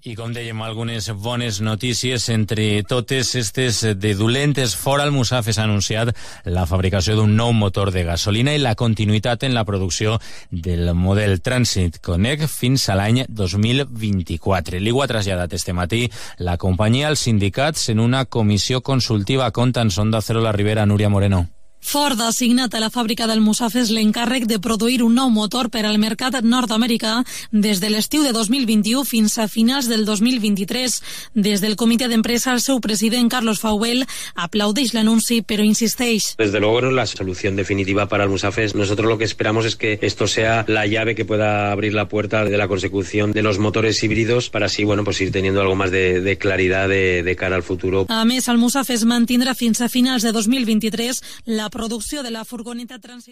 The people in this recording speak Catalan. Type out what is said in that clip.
I com dèiem, algunes bones notícies, entre totes aquestes de dolentes. Ford Almussafes ha anunciat la fabricació d'un nou motor de gasolina i la continuïtat en la producció del model Transit Connect fins a l'any 2024. L'IGU ha traslladat este matí la companyia als sindicats en una comissió consultiva. Conta'n, Onda Cero, la Ribera, Núria Moreno. Ford ha assignat a la fàbrica d'Almussafes l'encàrrec de produir un nou motor per al mercat nord-americà des de l'estiu de 2021 fins a finals del 2023. Des del comitè d'empresa, el seu president, Carlos Fauvel, aplaudeix l'anunci, però insisteix. Desde luego no es la solución definitiva para Almussafes. Nosotros lo que esperamos es que esto sea la llave que pueda abrir la puerta de la consecución de los motores híbridos para así, pues ir teniendo algo más de claridad de cara al futuro. A més, Almussafes mantindrà fins a finals de 2023 la producció de la furgoneta Transit.